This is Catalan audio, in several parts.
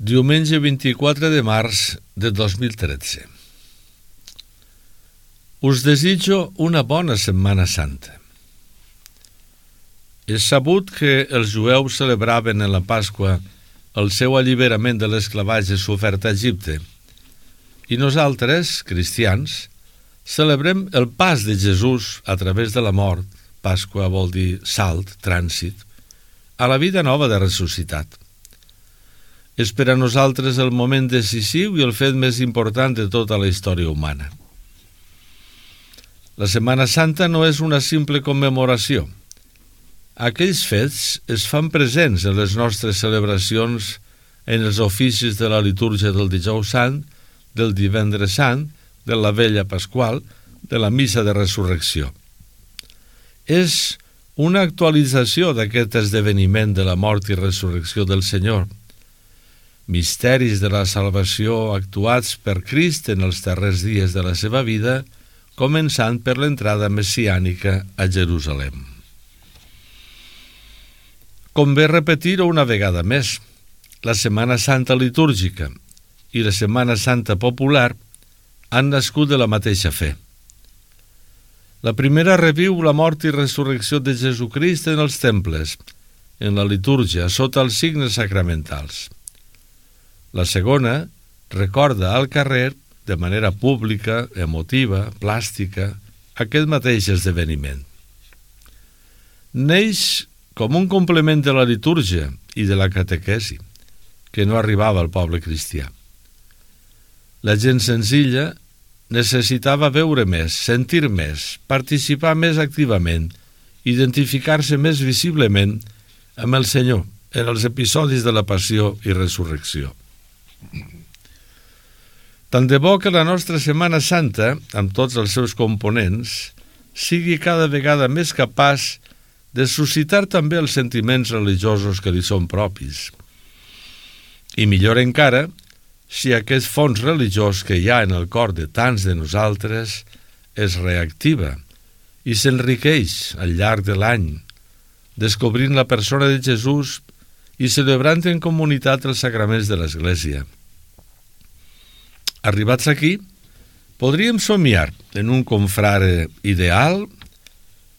Diumenge 24 de març de 2013. Us desitjo una bona Setmana Santa. És sabut que els jueus celebraven en la Pasqua el seu alliberament de l'esclavatge sofert a Egipte i nosaltres, cristians, celebrem el pas de Jesús a través de la mort, Pasqua vol dir salt, trànsit, a la vida nova de ressuscitat. És per a nosaltres el moment decisiu i el fet més important de tota la història humana. La Setmana Santa no és una simple commemoració. Aquells fets es fan presents en les nostres celebracions, en els oficis de la litúrgia del Dijous Sant, del Divendres Sant, de la Vella Pasqual, de la Missa de Resurrecció. És una actualització d'aquest esdeveniment de la mort i resurrecció del Senyor, misteris de la salvació actuats per Crist en els darrers dies de la seva vida, començant per l'entrada messiànica a Jerusalem. Convé repetir-ho una vegada més, la Setmana Santa litúrgica i la Setmana Santa popular han nascut de la mateixa fe. La primera reviu la mort i resurrecció de Jesucrist en els temples, en la litúrgia, sota els signes sacramentals. La segona recorda al carrer, de manera pública, emotiva, plàstica, aquest mateix esdeveniment. Neix com un complement de la litúrgia i de la catequesi, que no arribava al poble cristià. La gent senzilla necessitava veure més, sentir més, participar més activament, identificar-se més visiblement amb el Senyor en els episodis de la passió i resurrecció. Tant de bo que la nostra Setmana Santa, amb tots els seus components, sigui cada vegada més capaç de suscitar també els sentiments religiosos que li són propis. I millor encara, si aquest fons religiós que hi ha en el cor de tants de nosaltres es reactiva i s'enriqueix al llarg de l'any, descobrint la persona de Jesús i celebrant en comunitat els sacraments de l'Església. Arribats aquí, podríem somiar en un confrare ideal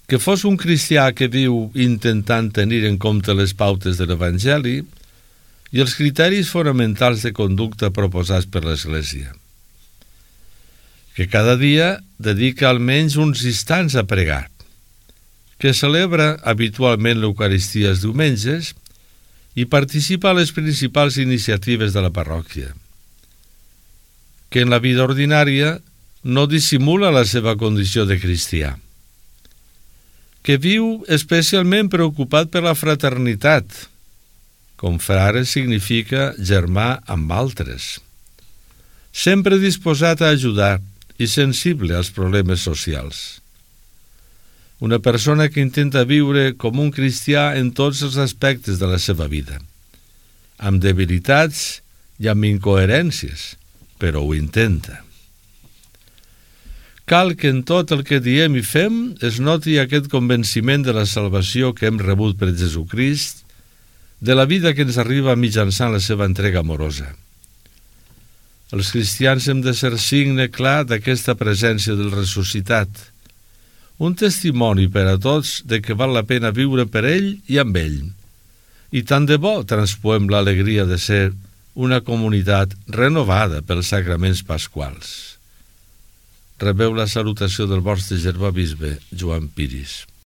que fos un cristià que viu intentant tenir en compte les pautes de l'Evangeli i els criteris fonamentals de conducta proposats per l'Església. Que cada dia dedica almenys uns instants a pregar, que celebra habitualment l'Eucaristia els diumenges i participa a les principals iniciatives de la parròquia, que en la vida ordinària no dissimula la seva condició de cristià, que viu especialment preocupat per la fraternitat. Confrare significa germà amb altres, sempre disposat a ajudar i sensible als problemes socials. Una persona que intenta viure com un cristià en tots els aspectes de la seva vida, amb debilitats i amb incoherències, però ho intenta. Cal que en tot el que diem i fem es noti aquest convenciment de la salvació que hem rebut per Jesucrist, de la vida que ens arriba mitjançant la seva entrega amorosa. Els cristians hem de ser signe clar d'aquesta presència del ressuscitat, un testimoni per a tots de que val la pena viure per ell i amb ell, i tant de bo transpoem l'alegria de ser una comunitat renovada pels sacraments pasquals. Rebeu la salutació del vostre germà bisbe, Joan Piris.